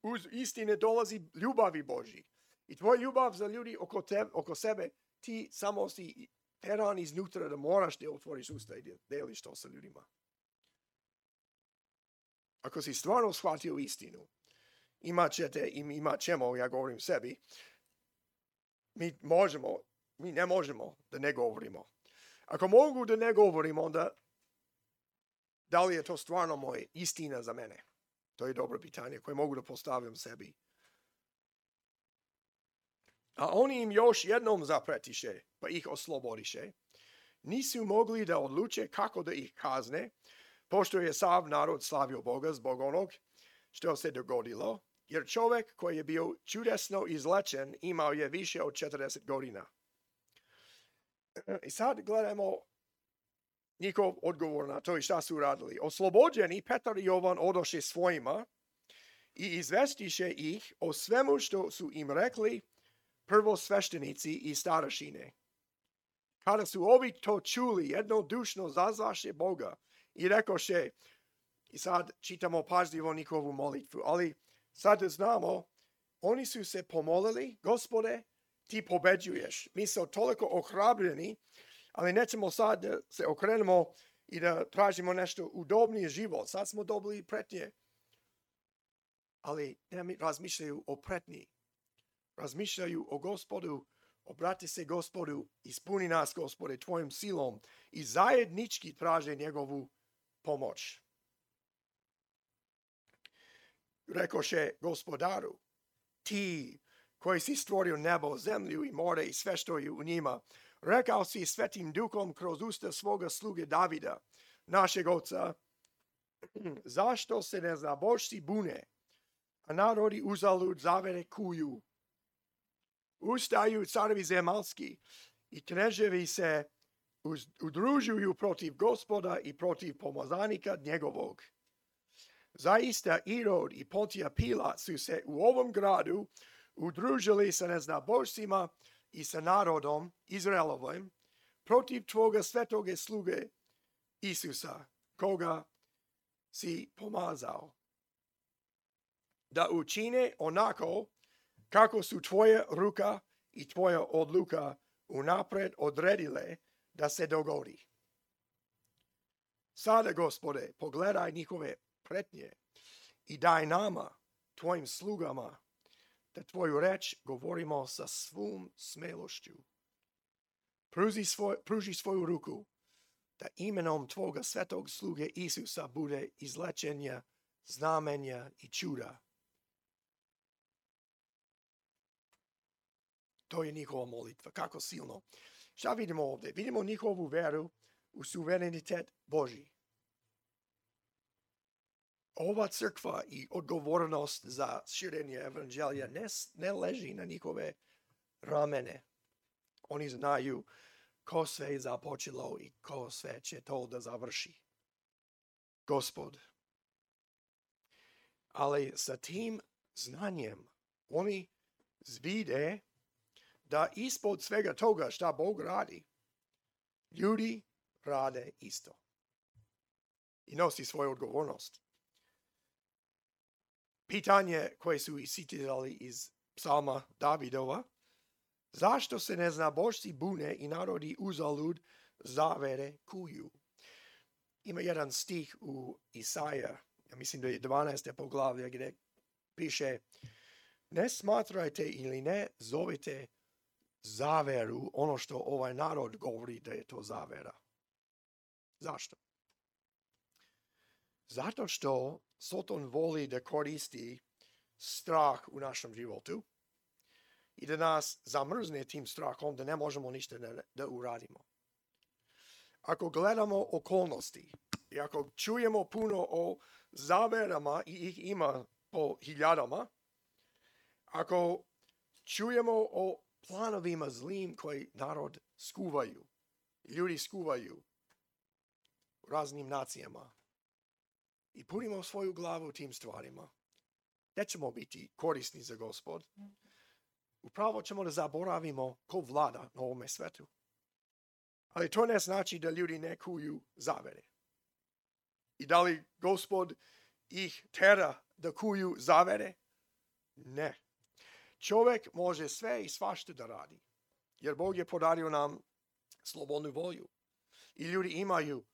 uz istine dolazi ljubavi Božji. I tvoj ljubav za ljudi oko, tebe, oko sebe, ti samo si teran iznutra da moraš da otvoriš usta i deliš to sa ljudima. Ako si stvarno shvatio istinu, imat ćete i imat ćemo, ja govorim sebi, mi možemo, mi ne možemo da ne govorimo. Ako mogu da ne govorim, onda da li je to stvarno moja istina za mene? To je dobro pitanje koje mogu da postavljam sebi. A oni im još jednom zapretiše, pa ih oslobodiše. Nisu mogli da odluče kako da ih kazne, pošto je sav narod slavio Boga zbog onog što se dogodilo, jer čovjek koji je bio čudesno izlečen imao je više od četrdeset godina. I sad gledamo njihov odgovor na to i šta su radili. Oslobođeni Petar i Jovan odoše svojima i izvestiše ih o svemu što su im rekli prvosveštenici i starešine. Kada su ovi to čuli, jednodušno zazvaše Boga i rekoše, i sad čitamo pažljivo njihovu molitvu, ali sad znamo, oni su se pomolili, Gospode, ti pobeđuješ. Mi smo toliko ohrabljeni, ali nećemo sad da se okrenemo i da tražimo nešto udobniji život. Sad smo dobili pretnje. Ali ne razmišljaju o pretnji. Razmišljaju o Gospodu, obrati se Gospodu, ispuni nas, Gospode, tvojom silom i zajednički traže njegovu pomoć. Rekoše Gospodaru, ti koji si stvorio nebo, zemlju i more i sve što je u njima, rekao si Svetim Duhom kroz usta svoga sluge Davida, našeg oca, zašto se neznabošci bune, a narodi uzalud zavere kuju. Ustaju carevi zemaljski i kneževi se uz, udružuju protiv Gospoda i protiv pomozanika njegovog. Zaista Irod i Pontija Pilat su se u ovom gradu udružili sa neznabošcima i sa narodom Izraelovim protiv tvoga svetoga sluge Isusa, koga si pomazao, da učine onako kako su tvoja ruka i tvoja odluka unapred odredile da se dogodi. Sada, Gospode, pogledaj njihove pretnje i daj nama, tvojim slugama, da tvoju reč govorimo sa svom smelošću. Pruži, svoj, pruži svoju ruku, da imenom tvoga svetog sluge Isusa bude izlečenja, znamenja i čuda. To je njihova molitva. Kako silno. Šta vidimo ovdje? Vidimo njihovu veru u suverenitet Božji. Ova crkva i odgovornost za širenje evanđelja ne, ne leži na njihove ramene. Oni znaju ko sve je započelo i ko sve će to da završi. Gospod. Ali sa tim znanjem oni vide da ispod svega toga šta Bog radi, ljudi rade isto. I nosi svoju odgovornost. Pitanje koje su citirali iz psalma Davidova, zašto se neznabošci bune i narodi uzalud zavere kuju? Ima jedan stih u Isaija, ja mislim da je dvanaesto poglavlje, gdje piše: ne smatrajte ili ne zovite zaveru ono što ovaj narod govori da je to zavera. Zašto? Zato što Satan voli da koristi strah u našem životu i da nas zamrzne tim strahom da ne možemo ništa da, da uradimo. Ako gledamo okolnosti i ako čujemo puno o zaverama i ih ima po hiljadama, ako čujemo o planovima zlim koji narod skuvaju, ljudi skuvaju u raznim nacijama i punimo svoju glavu tim stvarima, nećemo biti korisni za Gospod. Upravo ćemo da zaboravimo ko vlada na ovome svetu. Ali to ne znači da ljudi ne kuju zavere. I da li Gospod ih tera da kuju zavere? Ne. Čovjek može sve i svašta da radi. Jer Bog je podario nam slobodnu volju. I ljudi imaju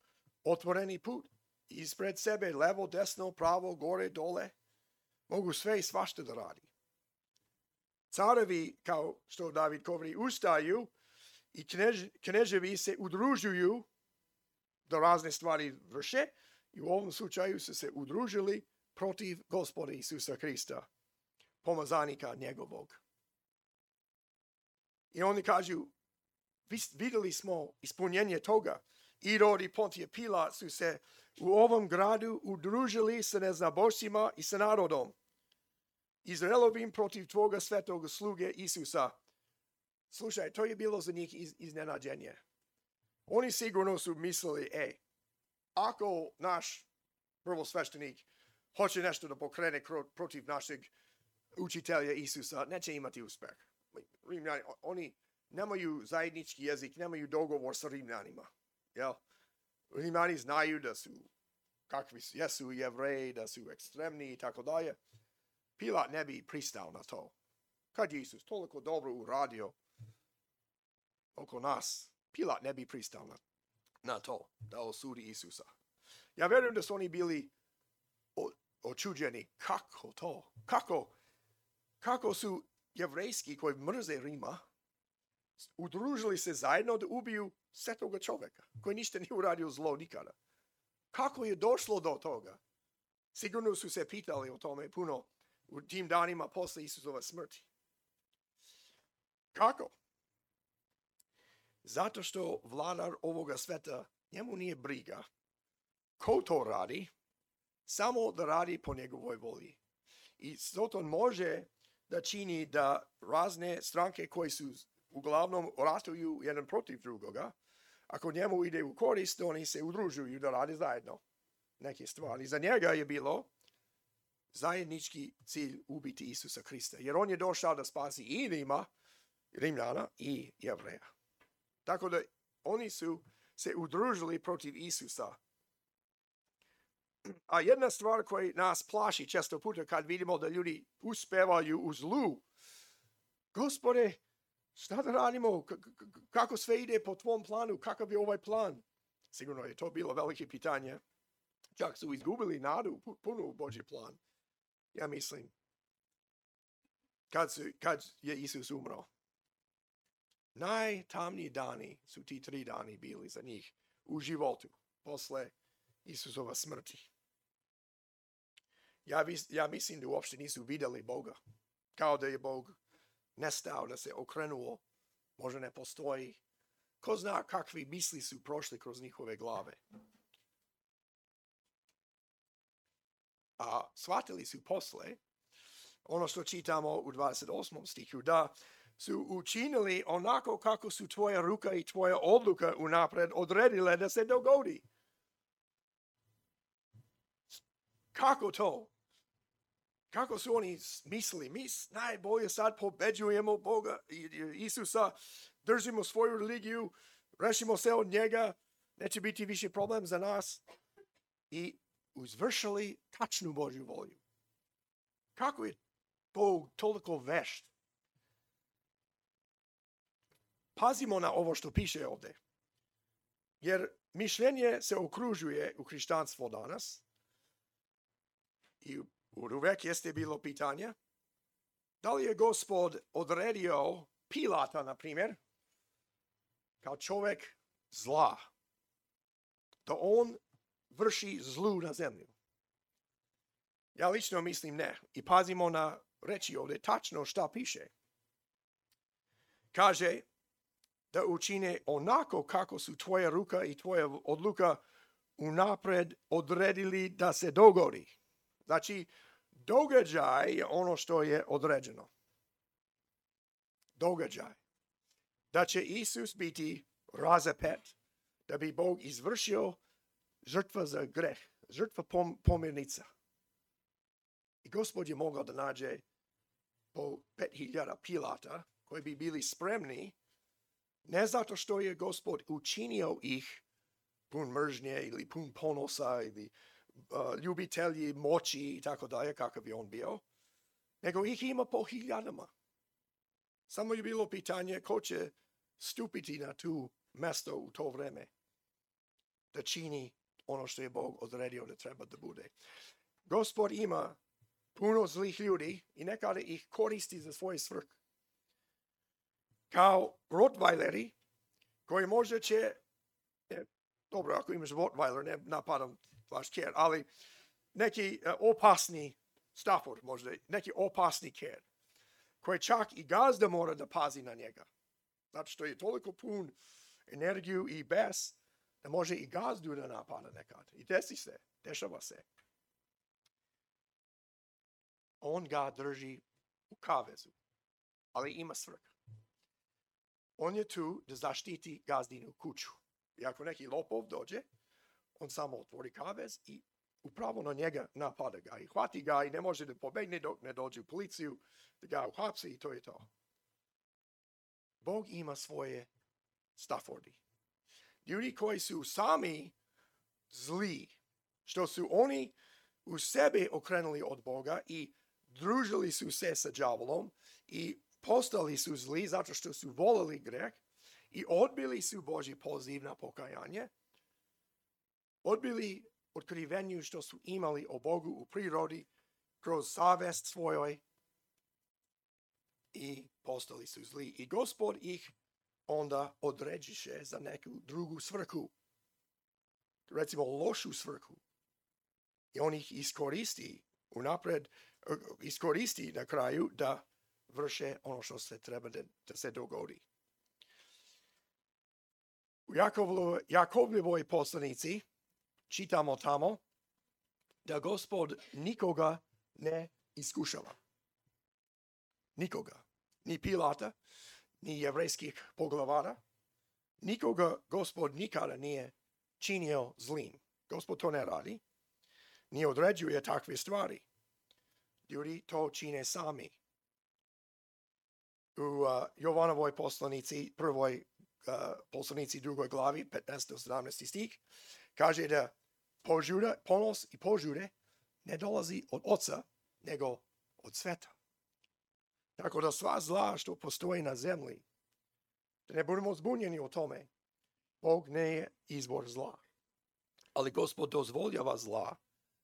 otvoreni put. Ispred sebe, levo, desno, pravo, gore, dole. Mogu sve i svašta da radi. Carevi, kao što David govori, ustaju i knež, kneževi se udružuju da razne stvari vrše i u ovom slučaju su se udružili protiv Gospoda Isusa Hrista, pomazanika njegovog. I oni kažu, vidjeli smo ispunjenje toga. Irod i Pontije Pilat su se u ovom gradu udružili sa neznabošcima i sa narodom Izraelovim protiv tvoga svetog sluge Isusa. Slušaj, to je bilo za njih iz, iznenađenje. Oni sigurno su mislili, ej, ako naš prvosveštenik hoće nešto da pokrene protiv našeg učitelja Isusa, neće imati uspeh. Rimljani, oni nemaju zajednički jezik, nemaju dogovor sa Rimljanima. Jel? Rimljani znaju da su, kakvi su, jesu Jevreji, da su ekstremni i tako dalje. Pilat ne bi pristao na to. Kad je Isus toliko dobro uradio oko nas, Pilat ne bi pristao na, na to, da osudi Isusa. Ja vjerujem da su oni bili o, očuđeni. Kako to? Kako? Kako su jevrejski koji mrze Rima udružili se zajedno da ubiju svetoga čovjeka koji ništa nije uradio zlo nikada? Kako je došlo do toga? Sigurno su se pitali o tome puno u tim danima posle Isusova smrti. Kako? Zato što vladar ovoga sveta, njemu nije briga ko to radi, samo da radi po njegovoj volji. I zato može da čini da razne stranke koje su uglavnom ratuju jedan protiv drugoga, ako njemu ide u korist, oni se udružuju da rade zajedno neke stvari. Za njega je bilo zajednički cilj ubiti Isusa Hrista, jer on je došao da spasi i Rima, Rimljana i Jevreja. Tako da oni su se udružili protiv Isusa. A jedna stvar koja nas plaši često puta kad vidimo da ljudi uspevaju u zlu, Gospode, šta da radimo? Kako sve ide po tvom planu? Kakav je ovaj plan? Sigurno je to bilo veliko pitanje. Čak su izgubili nadu puno u Božji plan. Ja mislim, kad, su, kad je Isus umro, najtamniji dani su ti tri dani bili za njih u životu posle Isusova smrti. Ja, vis, ja mislim da uopšte nisu vidjeli Boga. Kao da je Bog nestao, da se okrenuo, možda ne postoji. Ko zna kakvi misli su prošli kroz njihove glave. A shvatili su posle, ono što čitamo u dvadeset osmom stihu, da su učinili onako kako su tvoja ruka i tvoja odluka unapred odredile da se dogodi. Kako to? Kako su oni mislili? Mi najbolje sad pobeđujemo Boga i Isusa, držimo svoju religiju, rešimo se od njega, neće biti više problem za nas. I izvršili tačnu Božju volju. Kako je Bog toliko vešt? Pazimo na ovo što piše ovdje. Jer mišljenje se okružuje u hrišćanstvo danas. I uvek jeste bilo pitanje, da li je Gospod odredio Pilata, na primjer, kao čovjek zla, da on vrši zlu na zemlju? Ja lično mislim ne. I pazimo na reći ovdje tačno šta piše. Kaže da učine onako kako su tvoja ruka i tvoja odluka unapred odredili da se dogodi. Znači, događaj je ono što je određeno. Događaj. Da će Isus biti razapet, da bi Bog izvršio žrtva za greh, žrtva pom, pomirnica. I Gospod je mogao da nađe po pet hiljada Pilata koji bi bili spremni, ne zato što je Gospod učinio ih pun mržnje ili pun ponosa ili uh, ljubitelji moći i tako dalje, kakav bi on bio, nego ih ima po hiljadama. Samo je bilo pitanje ko će stupiti na tu mesto u to vreme da čini ono što je Bog odredio da treba da bude. Gospod ima puno zlih ljudi i nekada ih koristi za svoje svrhe. Kao Rottweileri, koji možda će, ne, dobro, ako imaš Rottweiler, ne napadam vaš ker, ali neki uh, opasni Stafford, možda neki opasni ker, koji čak i gazda mora da pazi na njega. Zato što je toliko pun energiju i bes, da može i gazdu da napada nekad. I desi se, dešava se. On ga drži u kavezu, ali ima svrha. On je tu da zaštiti gazdinu kuću. I ako neki lopov dođe, on samo otvori kavez i upravo na njega napada ga. I hvati ga i ne može da pobegne dok ne dođe u policiju, da ga uhapsi i to je to. Bog ima svoje Staffordi. Ljudi koji su sami zli, što su oni u sebi okrenuli od Boga i družili su se sa đavolom i postali su zli zato što su volili greh i odbili su Božji poziv na pokajanje, odbili otkrivenju što su imali o Bogu u prirodi kroz savest svojoj i postali su zli. I Gospod ih onda određiše za neku drugu svrhu, recimo lošu svrhu. I on ih iskoristi unapred, iskoristi na kraju da vrše ono što se treba da, da se dogodi. U Jakovljevoj, Jakovljevoj poslanici čitamo tamo da Gospod nikoga ne iskušava. Nikoga. Ni Pilata, ni jevrejskih poglavara. Nikoga Gospod nikada nije činio zlim. Gospod to ne radi. Ni određuje takve stvari. Ljudi to čine sami. U uh, Jovanovoj poslanici, prvoj uh, poslanici drugoj glavi, petnaesti do sedamnaesti stih, kaže da požuda, ponos i požude ne dolazi od oca, nego od sveta. Tako da sva zla što postoji na zemlji, da ne budemo zbunjeni o tome, Bog ne je izvor zla. Ali Gospod dozvoljava zla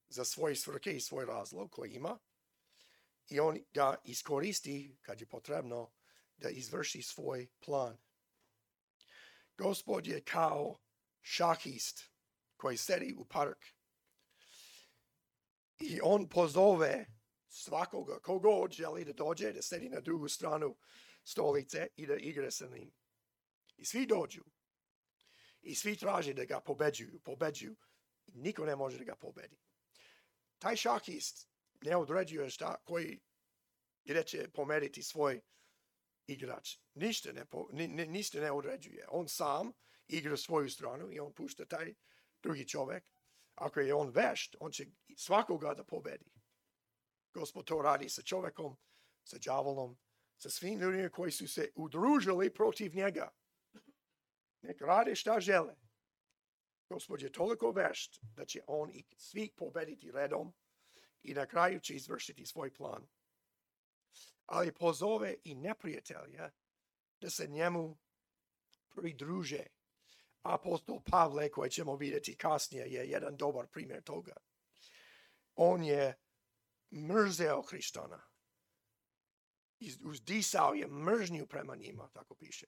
za svoje svrhe i svoj razlog koji ima i on ga iskoristi kad je potrebno da izvrši svoj plan. Gospod je kao šahist koji sedi u park i on pozove svakoga, kogod želi da dođe, da sedi na drugu stranu stolice i da igra sa njim. I svi dođu. I svi traže da ga pobeđuju, pobeđuju. I niko ne može da ga pobedi. Taj šahist ne određuje šta, koji gdje će pomeriti svoj igrač. Ništa ne, ni, ništa ne određuje. On sam igra svoju stranu i on pušta taj drugi čovjek. Ako je on vešt, on će svakoga da pobedi. Gospod to radi sa čovjekom, sa đavolom, sa svim ljudima koji su se udružili protiv njega. Nek rade šta žele. Gospod je toliko vešt da će on i svi pobediti redom i na kraju će izvršiti svoj plan. Ali pozove i neprijatelja da se njemu pridruže. Apostol Pavle, koji ćemo vidjeti kasnije, je jedan dobar primjer toga. On je mrzeo Hristana. Uzdisao je mržnju prema njima, tako piše.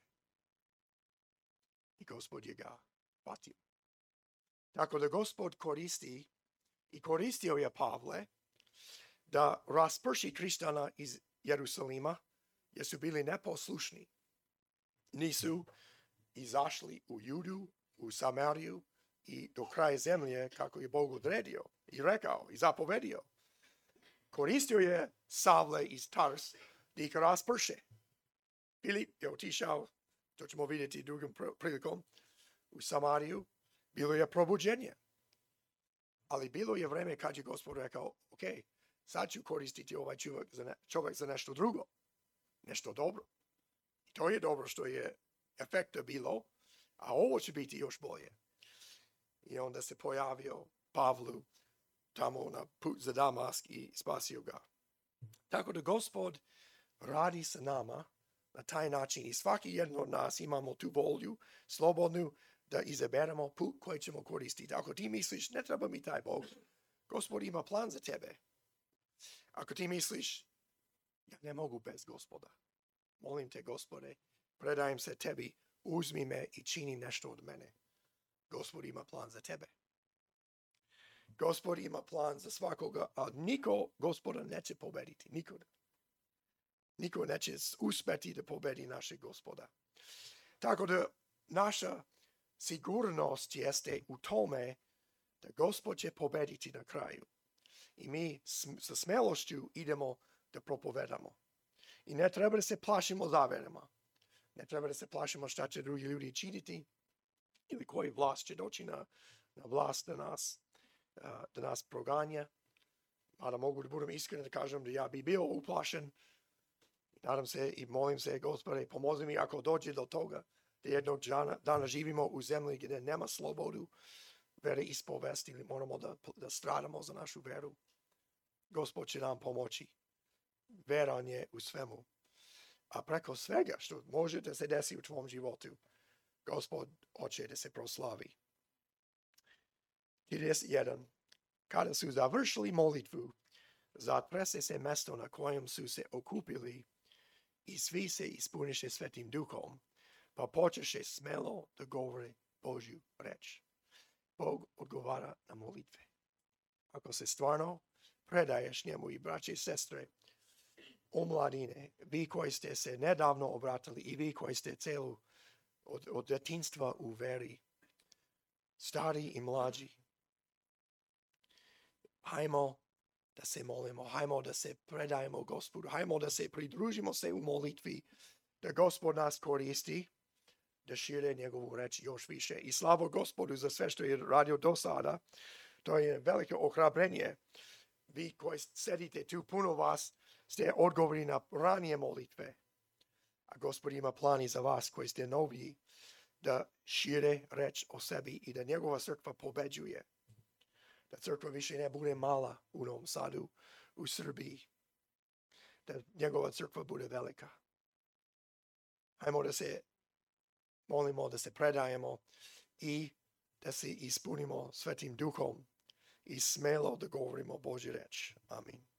I Gospod je ga patio. Tako da Gospod koristi i koristio je Pavle da rasprši Hristana iz Jerusalima, jer su bili neposlušni. Nisu izašli u Judu, u Samariju i do kraja zemlje kako je Bog odredio i rekao i zapovedio. Koristio je Savle iz Tars da ih rasprše. Filip je otišao, to ćemo vidjeti drugom prilikom, u Samariju. Bilo je probuđenje. Ali bilo je vreme kad je Gospod rekao, ok, sad ću koristiti ovaj čovjek za, ne, čovjek za nešto drugo. Nešto dobro. I to je dobro što je efekta bilo, a ovo će biti još bolje. I onda se pojavio Pavlu tamo na put za Damask i spasio ga. Tako da Gospod radi sa nama na taj način i svaki jedan od nas imamo tu volju, slobodnu, da izaberemo put koji ćemo koristiti. Ako ti misliš, ne treba mi taj Bog, Gospod ima plan za tebe. Ako ti misliš, ja ne mogu bez Gospoda. Molim te, Gospode, predajem se tebi, uzmi me i čini nešto od mene. Gospod ima plan za tebe. Gospod ima plan za svakoga, a niko Gospoda neće pobediti. Niko. Niko neće uspeti da pobedi našeg Gospoda. Tako da naša sigurnost jeste u tome da Gospod će pobediti na kraju. I mi sa smelošću idemo da propovedamo. I ne treba da se plašimo zaverama. Ne treba da se plašimo šta će drugi ljudi činiti ili koji vlast će doći na, na vlast da nas, da nas proganja. Mada mogu da budem iskren da kažem da ja bi bio uplašen. Nadam se i molim se, Gospode, pomozi mi ako dođe do toga da jednog dana, dana živimo u zemlji gdje nema slobodu vere ispovesti ili moramo da, da stradamo za našu veru. Gospod će nam pomoći. Veran je u svemu. A preko svega što može da se desi u tvom životu, Gospod hoće da se proslavi. trideset jedan. Kada su završili molitvu, zatrese se mesto na kojem su se okupili i svi se ispuniše Svetim Duhom, pa počeše smelo da govore Božju reč. Bog odgovara na molitve. Ako se stvarno predaješ njemu i braće i sestre, omladine, vi koji ste se nedavno obratili i vi koji ste celu od, od detinjstva u veri, stari i mlađi, hajmo da se molimo, hajmo da se predajemo Gospodu, hajmo da se pridružimo se u molitvi, da Gospod nas koristi, da šire njegovu reč još više. I slavo Gospodu za sve što je radio do sada. To je veliko ohrabrenje. Vi koji sedite tu, puno vas ste odgovori na ranije molitve. A Gospod ima plani za vas koji ste noviji, da šire reč o sebi i da njegova crkva pobeđuje. Da crkva više ne bude mala u Novom Sadu, u Srbiji. Da njegova crkva bude velika. Hajmo da se molimo, da se predajemo i da se ispunimo Svetim Duhom i smelo da govorimo Božju reč. Amin.